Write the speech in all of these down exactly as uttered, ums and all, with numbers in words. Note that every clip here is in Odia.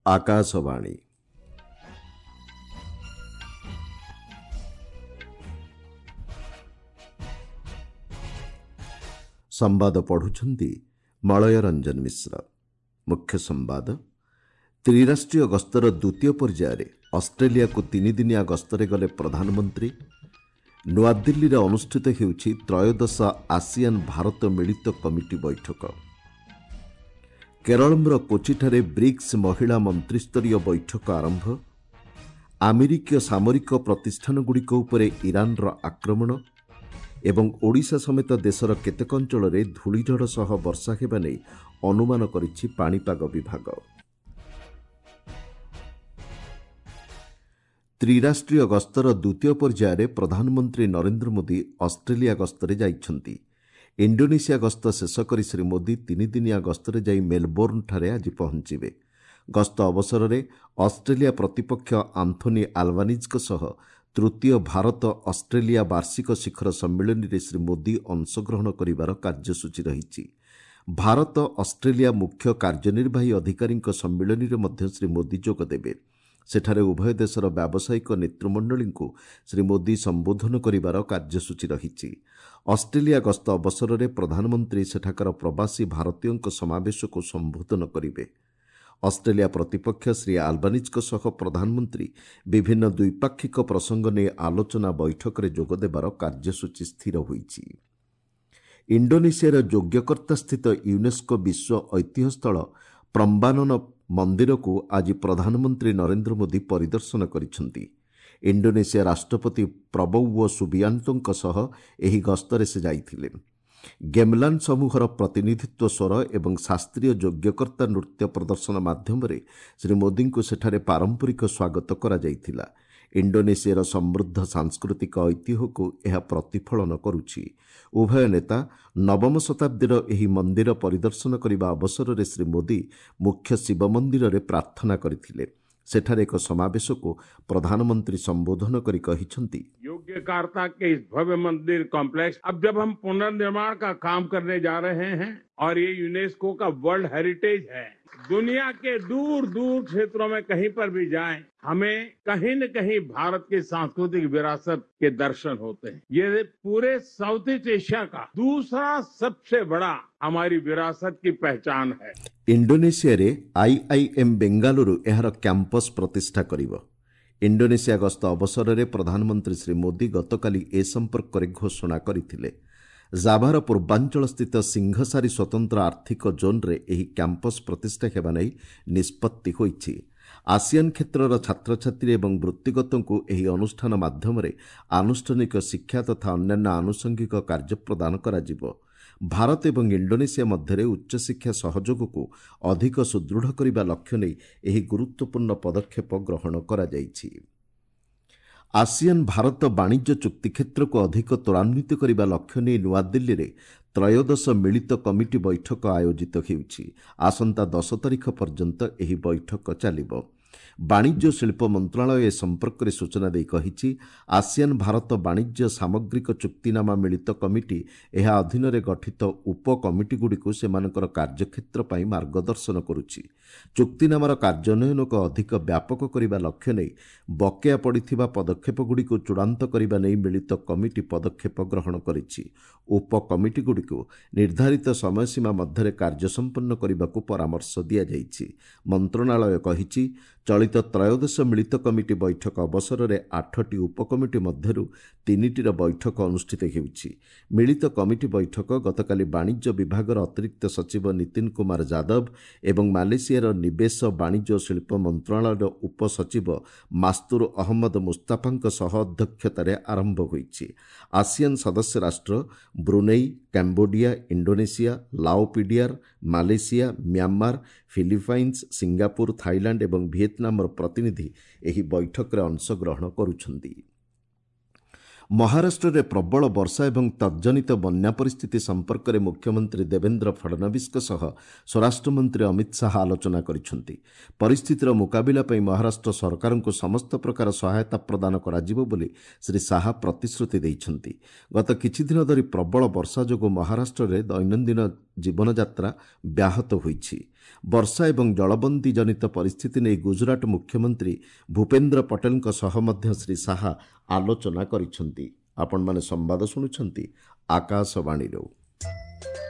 ଆକାଶବାଣୀ। ସମ୍ବାଦ ପଢୁଛନ୍ତି ମଳୟ ରଞ୍ଜନ ମିଶ୍ର। ମୁଖ୍ୟ ସମ୍ବାଦ। ତ୍ରିରାଷ୍ଟ୍ରୀୟ ଗସ୍ତର ଦ୍ୱିତୀୟ ପର୍ଯ୍ୟାୟରେ ଅଷ୍ଟ୍ରେଲିଆକୁ ତିନିଦିନିଆ ଗସ୍ତରେ ଗଲେ ପ୍ରଧାନମନ୍ତ୍ରୀ। ନୂଆଦିଲ୍ଲୀରେ ଅନୁଷ୍ଠିତ ହେଉଛି ତ୍ରୟୋଦଶ ଆସିଆନ ଭାରତ ମିଳିତ କମିଟି ବୈଠକ। କେରଳର କୋଚିଠାରେ ବ୍ରିକ୍ସ ମହିଳା ମନ୍ତ୍ରିସ୍ତରୀୟ ବୈଠକ ଆରମ୍ଭ। ଆମେରିକୀୟ ସାମରିକ ପ୍ରତିଷ୍ଠାନଗୁଡ଼ିକ ଉପରେ ଇରାନର ଆକ୍ରମଣ ଏବଂ ଓଡ଼ିଶା ସମେତ ଦେଶର କେତେକ ଅଞ୍ଚଳରେ ଧୂଳିଝଡ଼ ସହ ବର୍ଷା ହେବା ନେଇ ଅନୁମାନ କରିଛି ପାଣିପାଗ ବିଭାଗ। ତ୍ରିରାଷ୍ଟ୍ରୀୟ ଗସ୍ତର ଦ୍ୱିତୀୟ ପର୍ଯ୍ୟାୟରେ ପ୍ରଧାନମନ୍ତ୍ରୀ ନରେନ୍ଦ୍ର ମୋଦି ଅଷ୍ଟ୍ରେଲିଆ ଗସ୍ତରେ ଯାଇଛନ୍ତି। ଇଣ୍ଡୋନେସିଆ ଗସ୍ତ ଶେଷ କରି ଶ୍ରୀ ମୋଦି ତିନିଦିନିଆ ଗସ୍ତରେ ଯାଇ ମେଲବୋର୍ଣ୍ଣଠାରେ ଆଜି ପହଞ୍ଚିବେ। ଗସ୍ତ ଅବସରରେ ଅଷ୍ଟ୍ରେଲିଆ ପ୍ରତିପକ୍ଷ ଆନ୍ଥୋନି ଆଲବାନିଜ୍ଙ୍କ ସହ ତୃତୀୟ ଭାରତ ଅଷ୍ଟ୍ରେଲିଆ ବାର୍ଷିକ ଶିଖର ସମ୍ମିଳନୀରେ ଶ୍ରୀ ମୋଦି ଅଂଶଗ୍ରହଣ କରିବାର କାର୍ଯ୍ୟସୂଚୀ ରହିଛି। ଭାରତ ଅଷ୍ଟ୍ରେଲିଆ ମୁଖ୍ୟ କାର୍ଯ୍ୟନିର୍ବାହୀ ଅଧିକାରୀଙ୍କ ସମ୍ମିଳନୀରେ ମଧ୍ୟ ଶ୍ରୀ ମୋଦି ଯୋଗଦେବେ। ସେଠାରେ ଉଭୟ ଦେଶର ବ୍ୟାବସାୟିକ ନେତୃମଣ୍ଡଳୀଙ୍କୁ ଶ୍ରୀ ମୋଦି ସମ୍ବୋଧନ କରିବାର କାର୍ଯ୍ୟସୂଚୀ ରହିଛି। ଅଷ୍ଟ୍ରେଲିଆ ଗସ୍ତ ଅବସରରେ ପ୍ରଧାନମନ୍ତ୍ରୀ ସେଠାକାର ପ୍ରବାସୀ ଭାରତୀୟଙ୍କ ସମାବେଶକୁ ସମ୍ବୋଧନ କରିବେ। ଅଷ୍ଟ୍ରେଲିଆ ପ୍ରତିପକ୍ଷ ଶ୍ରୀ ଆଲବାନିଜ୍ଙ୍କ ସହ ପ୍ରଧାନମନ୍ତ୍ରୀ ବିଭିନ୍ନ ଦ୍ୱିପାକ୍ଷିକ ପ୍ରସଙ୍ଗ ନେଇ ଆଲୋଚନା ବୈଠକରେ ଯୋଗଦେବାର କାର୍ଯ୍ୟସୂଚୀ ସ୍ଥିର ହୋଇଛି। ଇଣ୍ଡୋନେସିଆର ଯୋଗ୍ୟକର୍ତ୍ତାସ୍ଥିତ ୟୁନେସ୍କୋ ବିଶ୍ୱ ଐତିହ୍ୟସ୍ଥଳ ପ୍ରମ୍ବାନନ ମନ୍ଦିରକୁ ଆଜି ପ୍ରଧାନମନ୍ତ୍ରୀ ନରେନ୍ଦ୍ର ମୋଦି ପରିଦର୍ଶନ କରିଛନ୍ତି। ଇଣ୍ଡୋନେସିଆ ରାଷ୍ଟ୍ରପତି ପ୍ରବୌଓ ସୁବିଆନ୍ତୋଙ୍କ ସହ ଏହି ଗସ୍ତରେ ସେ ଯାଇଥିଲେ। ଗେମଲାନ୍ ସମୂହର ପ୍ରତିନିଧିତ୍ୱ ସ୍ୱର ଏବଂ ଶାସ୍ତ୍ରୀୟ ଯୋଗ୍ୟକର୍ତ୍ତା ନୃତ୍ୟ ପ୍ରଦର୍ଶନ ମାଧ୍ୟମରେ ଶ୍ରୀ ମୋଦିଙ୍କୁ ସେଠାରେ ପାରମ୍ପରିକ ସ୍ୱାଗତ କରାଯାଇଥିଲା। ଇଣ୍ଡୋନେସିଆର ସମୃଦ୍ଧ ସାଂସ୍କୃତିକ ଐତିହ୍ୟକୁ ଏହା ପ୍ରତିଫଳନ କରୁଛି। ଉଭୟ ନେତା ନବମ ଶତାବ୍ଦୀର ଏହି ମନ୍ଦିର ପରିଦର୍ଶନ କରିବା ଅବସରରେ ଶ୍ରୀ ମୋଦି ମୁଖ୍ୟ ଶିବ ମନ୍ଦିରରେ ପ୍ରାର୍ଥନା କରିଥିଲେ। ସେଠାରେ ଏକ ସମାବେଶକୁ ପ୍ରଧାନମନ୍ତ୍ରୀ ସମ୍ବୋଧନ କରି କହିଛନ୍ତି, योग्यकार्ता के इस भव्य मंदिर कॉम्प्लेक्स अब जब हम पुनर्निर्माण का काम करने जा रहे हैं और ये यूनेस्को का वर्ल्ड हेरिटेज है, दुनिया के दूर दूर क्षेत्रों में कहीं पर भी जाएं, हमें कहीं न कहीं भारत की सांस्कृतिक विरासत के दर्शन होते हैं। ये पूरे साउथ ईस्ट एशिया का दूसरा सबसे बड़ा हमारी विरासत की पहचान है। ଇଣ୍ଡୋନେସିଆରେ ଆଇଆଇଏମ୍ ବେଙ୍ଗାଲୁରୁ ଏହାର କ୍ୟାମ୍ପସ୍ ପ୍ରତିଷ୍ଠା କରିବ। ଇଣ୍ଡୋନେସିଆ ଗସ୍ତ ଅବସରରେ ପ୍ରଧାନମନ୍ତ୍ରୀ ଶ୍ରୀ ମୋଦି ଗତକାଲି ଏ ସମ୍ପର୍କରେ ଘୋଷଣା କରିଥିଲେ। ଜାଭାର ପୂର୍ବାଞ୍ଚଳସ୍ଥିତ ସିଂହସାରୀ ସ୍ୱତନ୍ତ୍ର ଆର୍ଥିକ ଜୋନ୍ରେ ଏହି କ୍ୟାମ୍ପସ୍ ପ୍ରତିଷ୍ଠା ହେବା ନେଇ ନିଷ୍ପତ୍ତି ହୋଇଛି। ଆସିଆନ୍ କ୍ଷେତ୍ରର ଛାତ୍ରଛାତ୍ରୀ ଏବଂ ବୃତ୍ତିଗତଙ୍କୁ ଏହି ଅନୁଷ୍ଠାନ ମାଧ୍ୟମରେ ଆନୁଷ୍ଠାନିକ ଶିକ୍ଷା ତଥା ଅନ୍ୟାନ୍ୟ ଆନୁଷଙ୍ଗିକ କାର୍ଯ୍ୟ ପ୍ରଦାନ କରାଯିବ। ଭାରତ ଏବଂ ଇଣ୍ଡୋନେସିଆ ମଧ୍ୟରେ ଉଚ୍ଚଶିକ୍ଷା ସହଯୋଗକୁ ଅଧିକ ସୁଦୃଢ଼ କରିବା ଲକ୍ଷ୍ୟ ନେଇ ଏହି ଗୁରୁତ୍ୱପୂର୍ଣ୍ଣ ପଦକ୍ଷେପ ଗ୍ରହଣ କରାଯାଇଛି। ଆସିଆନ୍ ଭାରତ ବାଣିଜ୍ୟ ଚୁକ୍ତି କ୍ଷେତ୍ରକୁ ଅଧିକ ତ୍ୱରାନ୍ୱିତ କରିବା ଲକ୍ଷ୍ୟ ନେଇ ନୂଆଦିଲ୍ଲୀରେ ତ୍ରୟୋଦଶ ମିଳିତ କମିଟି ବୈଠକ ଆୟୋଜିତ ହେଉଛି। ଆସନ୍ତା ଦଶ ତାରିଖ ପର୍ଯ୍ୟନ୍ତ ଏହି ବୈଠକ ଚାଲିବ। ବାଣିଜ୍ୟ ଶିଳ୍ପ ମନ୍ତ୍ରଣାଳୟ ଏ ସମ୍ପର୍କରେ ସୂଚନା ଦେଇ କହିଛି, ଆସିଆନ୍ ଭାରତ ବାଣିଜ୍ୟ ସାମଗ୍ରିକ ଚୁକ୍ତିନାମା ମିଳିତ କମିଟି ଏହା ଅଧୀନରେ ଗଠିତ ଉପକମିଟିଗୁଡ଼ିକୁ ସେମାନଙ୍କର କାର୍ଯ୍ୟକ୍ଷେତ୍ର ପାଇଁ ମାର୍ଗଦର୍ଶନ କରୁଛି। ଚୁକ୍ତିନାମାର କାର୍ଯ୍ୟାନ୍ୱୟନକୁ ଅଧିକ ବ୍ୟାପକ କରିବା ଲକ୍ଷ୍ୟ ନେଇ ବକେୟା ପଡ଼ିଥିବା ପଦକ୍ଷେପଗୁଡ଼ିକୁ ଚୂଡ଼ାନ୍ତ କରିବା ନେଇ ମିଳିତ କମିଟି ପଦକ୍ଷେପ ଗ୍ରହଣ କରିଛି। ଉପକମିଟିଗୁଡ଼ିକୁ ନିର୍ଦ୍ଧାରିତ ସମୟସୀମା ମଧ୍ୟରେ କାର୍ଯ୍ୟ ସମ୍ପନ୍ନ କରିବାକୁ ପରାମର୍ଶ ଦିଆଯାଇଛି। ମନ୍ତ୍ରଣାଳୟ କହିଛି, ଚଳିତ ତ୍ରୟୋଦଶ ମିଳିତ କମିଟି ବୈଠକ ଅବସରରେ ଆଠଟି ଉପକମିଟି ମଧ୍ୟରୁ ତିନିଟିର ବୈଠକ ଅନୁଷ୍ଠିତ ହେଉଛି। ମିଳିତ କମିଟି ବୈଠକ ଗତକାଲି ବାଣିଜ୍ୟ ବିଭାଗର ଅତିରିକ୍ତ ସଚିବ ନୀତିନ କୁମାର ଯାଦବ ଏବଂ ମାଲେସିଆର ନିବେଶ, ବାଣିଜ୍ୟ ଓ ଶିଳ୍ପ ମନ୍ତ୍ରଣାଳୟର ଉପସଚିବ ମାସ୍ତୁର ଅହମ୍ମଦ ମୁସ୍ତାଫାଙ୍କ ସହ ଅଧ୍ୟକ୍ଷତାରେ ଆରମ୍ଭ ହୋଇଛି। ଆସିଆନ୍ ସଦସ୍ୟ ରାଷ୍ଟ୍ର Brunei, Cambodia, Indonesia, Lao PDR, Malaysia, Myanmar, Philippines, Singapore, Thailand ଏବଂ ଭିଏତନାମର ପ୍ରତିନିଧି ଏହି ବୈଠକରେ ଅଂଶଗ୍ରହଣ କରୁଛନ୍ତି। ମହାରାଷ୍ଟ୍ରରେ ପ୍ରବଳ ବର୍ଷା ଏବଂ ତଜ୍ଜନିତ ବନ୍ୟା ପରିସ୍ଥିତି ସମ୍ପର୍କରେ ମୁଖ୍ୟମନ୍ତ୍ରୀ ଦେବେନ୍ଦ୍ର ଫଡ଼ନବିସଙ୍କ ସହ ସ୍ୱରାଷ୍ଟ୍ରମନ୍ତ୍ରୀ ଅମିତ ଶାହା ଆଲୋଚନା କରିଛନ୍ତି। ପରିସ୍ଥିତିର ମୁକାବିଲା ପାଇଁ ମହାରାଷ୍ଟ୍ର ସରକାରଙ୍କୁ ସମସ୍ତ ପ୍ରକାର ସହାୟତା ପ୍ରଦାନ କରାଯିବ ବୋଲି ଶ୍ରୀ ଶାହା ପ୍ରତିଶ୍ରୁତି ଦେଇଛନ୍ତି। ଗତ କିଛିଦିନ ଧରି ପ୍ରବଳ ବର୍ଷା ଯୋଗୁଁ ମହାରାଷ୍ଟ୍ରରେ ଦୈନନ୍ଦିନ ଜୀବନଯାତ୍ରା ବ୍ୟାହତ ହୋଇଛି। ବର୍ଷା ଏବଂ ଜଳବନ୍ଦୀ ଜନିତ ପରିସ୍ଥିତି ନେଇ ଗୁଜରାଟ ମୁଖ୍ୟମନ୍ତ୍ରୀ ଭୂପେନ୍ଦ୍ର ପଟେଲଙ୍କ ସହ ମଧ୍ୟ ଶ୍ରୀ ଶାହା ଆଲୋଚନା କରିଛନ୍ତି। ଆପଣମାନେ ସମ୍ବାଦ ଶୁଣୁଛନ୍ତି ଆକାଶବାଣୀରୁ।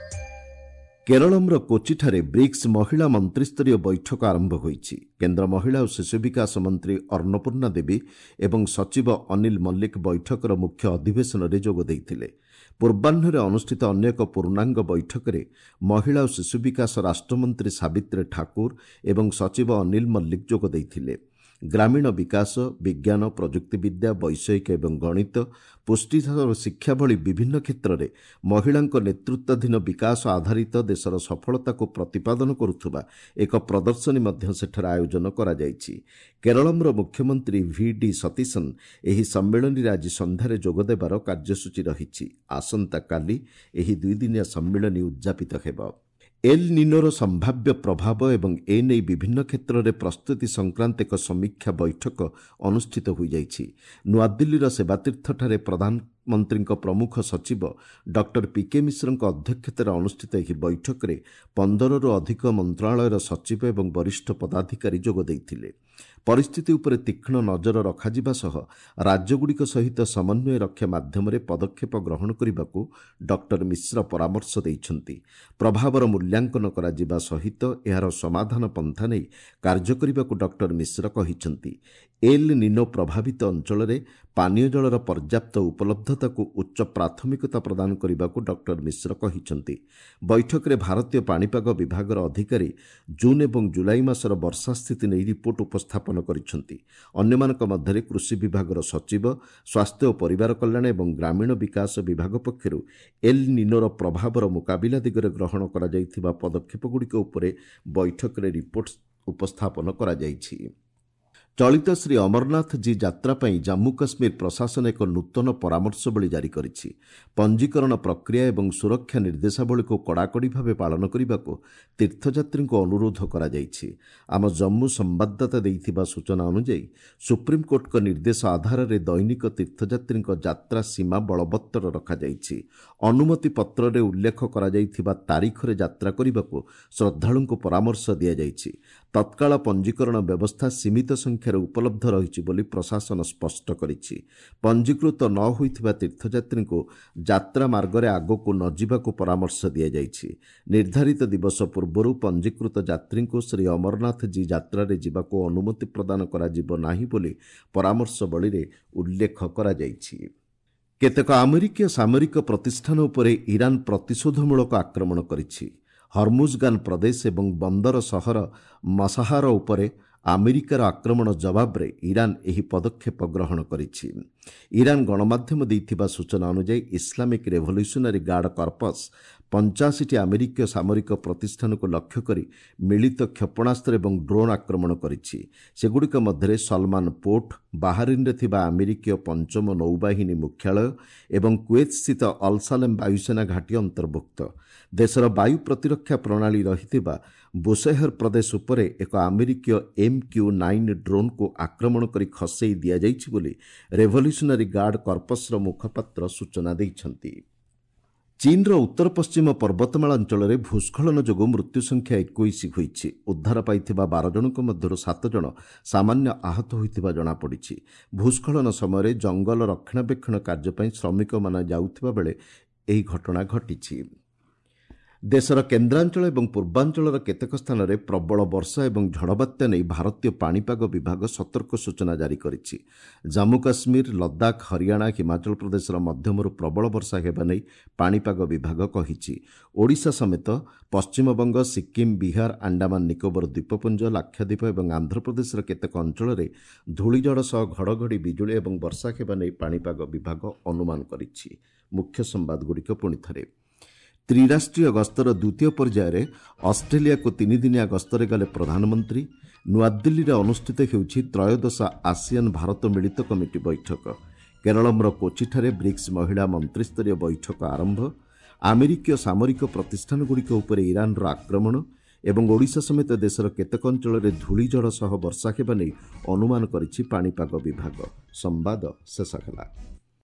କେରଳମର କୋଚିଠାରେ ବ୍ରିକ୍ସ ମହିଳା ମନ୍ତ୍ରିସ୍ତରୀୟ ବୈଠକ ଆରମ୍ଭ ହୋଇଛି। କେନ୍ଦ୍ର ମହିଳା ଓ ଶିଶୁ ବିକାଶ ମନ୍ତ୍ରୀ ଅନ୍ନପୂର୍ଣ୍ଣା ଦେବୀ ଏବଂ ସଚିବ ଅନିଲ ମଲ୍ଲିକ ବୈଠକର ମୁଖ୍ୟ ଅଧିବେଶନରେ ଯୋଗ ଦେଇଥିଲେ। ପୂର୍ବାହ୍ନରେ ଅନୁଷ୍ଠିତ ଅନ୍ୟ ଏକ ପୂର୍ଣ୍ଣାଙ୍ଗ ବୈଠକରେ ମହିଳା ଓ ଶିଶୁ ବିକାଶ ରାଷ୍ଟ୍ରମନ୍ତ୍ରୀ ସାବିତ୍ରୀ ଠାକୁର ଏବଂ ସଚିବ ଅନିଲ ମଲ୍ଲିକ ଯୋଗ ଦେଇଥିଲେ। ଗ୍ରାମୀଣ ବିକାଶ, ବିଜ୍ଞାନ, ପ୍ରଯୁକ୍ତିବିଦ୍ୟା, ବୈଷୟିକ ଏବଂ ଗଣିତ, ପୁଷ୍ଟିସାର ଓ ଶିକ୍ଷା ଭଳି ବିଭିନ୍ନ କ୍ଷେତ୍ରରେ ମହିଳାଙ୍କ ନେତୃତ୍ୱାଧୀନ ବିକାଶ ଆଧାରିତ ଦେଶର ସଫଳତାକୁ ପ୍ରତିପାଦନ କରୁଥିବା ଏକ ପ୍ରଦର୍ଶନୀ ମଧ୍ୟ ସେଠାରେ ଆୟୋଜନ କରାଯାଇଛି। କେରଳମର ମୁଖ୍ୟମନ୍ତ୍ରୀ ଭି ଡି ସତୀଶନ୍ ଏହି ସମ୍ମିଳନୀରେ ଆଜି ସନ୍ଧ୍ୟାରେ ଯୋଗଦେବାର କାର୍ଯ୍ୟସୂଚୀ ରହିଛି। ଆସନ୍ତାକାଲି ଏହି ଦୁଇଦିନିଆ ସମ୍ମିଳନୀ ଉଦ୍ଯାପିତ ହେବ। ଏଲ୍ ନିନୋର ସମ୍ଭାବ୍ୟ ପ୍ରଭାବ ଏବଂ ଏ ନେଇ ବିଭିନ୍ନ କ୍ଷେତ୍ରରେ ପ୍ରସ୍ତୁତି ସଂକ୍ରାନ୍ତ ଏକ ସମୀକ୍ଷା ବୈଠକ ଅନୁଷ୍ଠିତ ହୋଇଯାଇଛି। ନୂଆଦିଲ୍ଲୀର ସେବାତୀର୍ଥଠାରେ ପ୍ରଧାନମନ୍ତ୍ରୀଙ୍କ ପ୍ରମୁଖ ସଚିବ ଡକ୍ଟର ପି କେ ମିଶ୍ରଙ୍କ ଅଧ୍ୟକ୍ଷତାରେ ଅନୁଷ୍ଠିତ ଏହି ବୈଠକରେ ପନ୍ଦରରୁ ଅଧିକ ମନ୍ତ୍ରଣାଳୟର ସଚିବ ଏବଂ ବରିଷ୍ଠ ପଦାଧିକାରୀ ଯୋଗ ଦେଇଥିଲେ। ପରିସ୍ଥିତି ଉପରେ ତୀକ୍ଷ୍ଣ ନଜର ରଖାଯିବା ସହ ରାଜ୍ୟଗୁଡ଼ିକ ସହିତ ସମନ୍ୱୟ ରକ୍ଷା ମାଧ୍ୟମରେ ପଦକ୍ଷେପ ଗ୍ରହଣ କରିବାକୁ ଡକ୍ଟର ମିଶ୍ର ପରାମର୍ଶ ଦେଇଛନ୍ତି। ପ୍ରଭାବର ମୂଲ୍ୟାଙ୍କନ କରାଯିବା ସହିତ ଏହାର ସମାଧାନ ପନ୍ଥା ନେଇ କାର୍ଯ୍ୟ କରିବାକୁ ଡକ୍ଟର ମିଶ୍ର କହିଛନ୍ତି। ଏଲ୍ ନିନୋ ପ୍ରଭାବିତ ଅଞ୍ଚଳରେ ପାନୀୟ ଜଳର ପର୍ଯ୍ୟାପ୍ତ ଉପଲବ୍ଧତାକୁ ଉଚ୍ଚ ପ୍ରାଥମିକତା ପ୍ରଦାନ କରିବାକୁ ଡକ୍ଟର ମିଶ୍ର କହିଛନ୍ତି। ବୈଠକରେ ଭାରତୀୟ ପାଣିପାଗ ବିଭାଗର ଅଧିକାରୀ ଜୁନ୍ ଏବଂ ଜୁଲାଇ ମାସର ବର୍ଷା ସ୍ଥିତି ନେଇ ରିପୋର୍ଟ ଉପସ୍ଥାପନ କରିଛନ୍ତି। ଅନ୍ୟମାନଙ୍କ ମଧ୍ୟରେ କୃଷି ବିଭାଗର ସଚିବ, ସ୍ୱାସ୍ଥ୍ୟ ଓ ପରିବାର କଲ୍ୟାଣ ଏବଂ ଗ୍ରାମୀଣ ବିକାଶ ବିଭାଗ ପକ୍ଷରୁ ଏଲ୍ ନିନୋର ପ୍ରଭାବର ମୁକାବିଲା ଦିଗରେ ଗ୍ରହଣ କରାଯାଇଥିବା ପଦକ୍ଷେପଗୁଡ଼ିକ ଉପରେ ବୈଠକରେ ରିପୋର୍ଟ ଉପସ୍ଥାପନ କରାଯାଇଛି। ଚଳିତ ଶ୍ରୀ ଅମରନାଥ ଜୀ ଯାତ୍ରା ପାଇଁ ଜାମ୍ମୁ କାଶ୍ମୀର ପ୍ରଶାସନ ଏକ ନୂତନ ପରାମର୍ଶବଳୀ ଜାରି କରିଛି। ପଞ୍ଜୀକରଣ ପ୍ରକ୍ରିୟା ଏବଂ ସୁରକ୍ଷା ନିର୍ଦ୍ଦେଶାବଳୀକୁ କଡ଼ାକଡ଼ି ଭାବେ ପାଳନ କରିବାକୁ ତୀର୍ଥଯାତ୍ରୀଙ୍କୁ ଅନୁରୋଧ କରାଯାଇଛି। ଆମ ଜମ୍ମୁ ସମ୍ବାଦଦାତା ଦେଇଥିବା ସୂଚନା ଅନୁଯାୟୀ ସୁପ୍ରିମକୋର୍ଟଙ୍କ ନିର୍ଦ୍ଦେଶ ଆଧାରରେ ଦୈନିକ ତୀର୍ଥଯାତ୍ରୀଙ୍କ ଯାତ୍ରା ସୀମା ବଳବତ୍ତର ରଖାଯାଇଛି। ଅନୁମତି ପତ୍ରରେ ଉଲ୍ଲେଖ କରାଯାଇଥିବା ତାରିଖରେ ଯାତ୍ରା କରିବାକୁ ଶ୍ରଦ୍ଧାଳୁଙ୍କୁ ପରାମର୍ଶ ଦିଆଯାଇଛି। ତତ୍କାଳ ପଞ୍ଜୀକରଣ ବ୍ୟବସ୍ଥା ସୀମିତ ସଂଖ୍ୟାରେ ଉପଲବ୍ଧ ରହିଛି ବୋଲି ପ୍ରଶାସନ ସ୍ପଷ୍ଟ କରିଛି। ପଞ୍ଜୀକୃତ ନ ହୋଇଥିବା ତୀର୍ଥଯାତ୍ରୀଙ୍କୁ ଯାତ୍ରା ମାର୍ଗରେ ଆଗକୁ ନ ଯିବାକୁ ପରାମର୍ଶ ଦିଆଯାଇଛି। ନିର୍ଦ୍ଧାରିତ ଦିବସ ପୂର୍ବରୁ ପଞ୍ଜୀକୃତ ଯାତ୍ରୀଙ୍କୁ ଶ୍ରୀ ଅମରନାଥ ଜୀ ଯାତ୍ରାରେ ଯିବାକୁ ଅନୁମତି ପ୍ରଦାନ କରାଯିବ ନାହିଁ ବୋଲି ପରାମର୍ଶବଳୀରେ ଉଲ୍ଲେଖ କରାଯାଇଛି। କେତେକ ଆମେରିକୀୟ ସାମରିକ ପ୍ରତିଷ୍ଠାନ ଉପରେ ଇରାନ ପ୍ରତିଶୋଧମୂଳକ ଆକ୍ରମଣ କରିଛି। ହର୍ମୁଜଗାନ ପ୍ରଦେଶ ଏବଂ ବନ୍ଦର ସହର ମସାହାର ଉପରେ ଆମେରିକାର ଆକ୍ରମଣ ଜବାବରେ ଇରାନ ଏହି ପଦକ୍ଷେପ ଗ୍ରହଣ କରିଛି। ଇରାନ ଗଣମାଧ୍ୟମ ଦେଇଥିବା ସୂଚନା ଅନୁଯାୟୀ ଇସଲାମିକ୍ ରେଭଲ୍ୟୁସନାରୀ ଗାର୍ଡ କର୍ପସ୍ ପଞ୍ଚାଅଶୀଟି ଆମେରିକୀୟ ସାମରିକ ପ୍ରତିଷ୍ଠାନକୁ ଲକ୍ଷ୍ୟ କରି ମିଳିତ କ୍ଷେପଣାସ୍ତ୍ର ଏବଂ ଡ୍ରୋନ୍ ଆକ୍ରମଣ କରିଛି। ସେଗୁଡ଼ିକ ମଧ୍ୟରେ ସଲମାନ ପୋର୍ଟ, ବାହାରିନ୍ରେ ଥିବା ଆମେରିକୀୟ ପଞ୍ଚମ ନୌବାହିନୀ ମୁଖ୍ୟାଳୟ ଏବଂ କୁଏତ୍ସ୍ଥିତ ଅଲସାଲେମ୍ ବାୟୁସେନା ଘାଟି ଅନ୍ତର୍ଭୁକ୍ତ। ଦେଶର ବାୟୁ ପ୍ରତିରକ୍ଷା ପ୍ରଣାଳୀ ରହିଥିବା ବୁଶେହର ପ୍ରଦେଶ ଉପରେ ଏକ ଆମେରିକୀୟ ଏମ୍ କ୍ୟୁ ନାଇନ୍ ଡ୍ରୋନ୍କୁ ଆକ୍ରମଣ କରି ଖସେଇ ଦିଆଯାଇଛି ବୋଲି ରେଭଲ୍ୟୁସନାରୀ ଗାର୍ଡ କର୍ପସ୍ର ମୁଖପାତ୍ର ସୂଚନା ଦେଇଛନ୍ତି। ଚୀନ୍ର ଉତ୍ତର ପଶ୍ଚିମ ପର୍ବତମାଳା ଅଞ୍ଚଳରେ ଭୂସ୍ଖଳନ ଯୋଗୁଁ ମୃତ୍ୟୁ ସଂଖ୍ୟା ଏକୋଇଶ ହୋଇଛି। ଉଦ୍ଧାର ପାଇଥିବା ବାର ଜଣଙ୍କ ମଧ୍ୟରୁ ସାତ ଜଣ ସାମାନ୍ୟ ଆହତ ହୋଇଥିବା ଜଣାପଡ଼ିଛି। ଭୂସ୍ଖଳନ ସମୟରେ ଜଙ୍ଗଲ ରକ୍ଷଣାବେକ୍ଷଣ କାର୍ଯ୍ୟ ପାଇଁ ଶ୍ରମିକମାନେ ଯାଉଥିବା ବେଳେ ଏହି ଘଟଣା ଘଟିଛି। ଦେଶର କେନ୍ଦ୍ରାଞ୍ଚଳ ଏବଂ ପୂର୍ବାଞ୍ଚଳର କେତେକ ସ୍ଥାନରେ ପ୍ରବଳ ବର୍ଷା ଏବଂ ଝଡ଼ବାତ୍ୟା ନେଇ ଭାରତୀୟ ପାଣିପାଗ ବିଭାଗ ସତର୍କ ସୂଚନା ଜାରି କରିଛି। ଜାମ୍ମୁ କାଶ୍ମୀର, ଲଦାଖ, ହରିୟାଣା, ହିମାଚଳ ପ୍ରଦେଶର ମଧ୍ୟମରୁ ପ୍ରବଳ ବର୍ଷା ହେବା ନେଇ ପାଣିପାଗ ବିଭାଗ କହିଛି। ଓଡ଼ିଶା ସମେତ ପଶ୍ଚିମବଙ୍ଗ, ସିକ୍କିମ୍, ବିହାର, ଆଣ୍ଡାମାନ ନିକୋବର ଦ୍ୱୀପପୁଞ୍ଜ, ଲାକ୍ଷାଦ୍ୱୀପ ଏବଂ ଆନ୍ଧ୍ରପ୍ରଦେଶର କେତେକ ଅଞ୍ଚଳରେ ଧୂଳିଝଡ଼ ସହ ଘଡ଼ଘଡ଼ି, ବିଜୁଳି ଏବଂ ବର୍ଷା ହେବା ନେଇ ପାଣିପାଗ ବିଭାଗ ଅନୁମାନ କରିଛି। ମୁଖ୍ୟ ସମ୍ବାଦଗୁଡ଼ିକ ପୁଣି ଥରେ। ତ୍ରିରାଷ୍ଟ୍ରୀୟ ଗସ୍ତର ଦ୍ୱିତୀୟ ପର୍ଯ୍ୟାୟରେ ଅଷ୍ଟ୍ରେଲିଆକୁ ତିନିଦିନିଆ ଗସ୍ତରେ ଗଲେ ପ୍ରଧାନମନ୍ତ୍ରୀ। ନୂଆଦିଲ୍ଲୀରେ ଅନୁଷ୍ଠିତ ହେଉଛି ତ୍ରୟୋଦଶ ଆସିଆନ୍ ଭାରତ ମିଳିତ କମିଟି ବୈଠକ। କେରଳମର କୋଚିଠାରେ ବ୍ରିକ୍ସ ମହିଳା ମନ୍ତ୍ରିସ୍ତରୀୟ ବୈଠକ ଆରମ୍ଭ। ଆମେରିକୀୟ ସାମରିକ ପ୍ରତିଷ୍ଠାନଗୁଡ଼ିକ ଉପରେ ଇରାନର ଆକ୍ରମଣ ଏବଂ ଓଡ଼ିଶା ସମେତ ଦେଶର କେତେକ ଅଞ୍ଚଳରେ ଧୂଳିଝଡ଼ ସହ ବର୍ଷା ହେବା ନେଇ ଅନୁମାନ କରିଛି ପାଣିପାଗ ବିଭାଗ। ସମ୍ବାଦ ଶେଷ ହେଲା।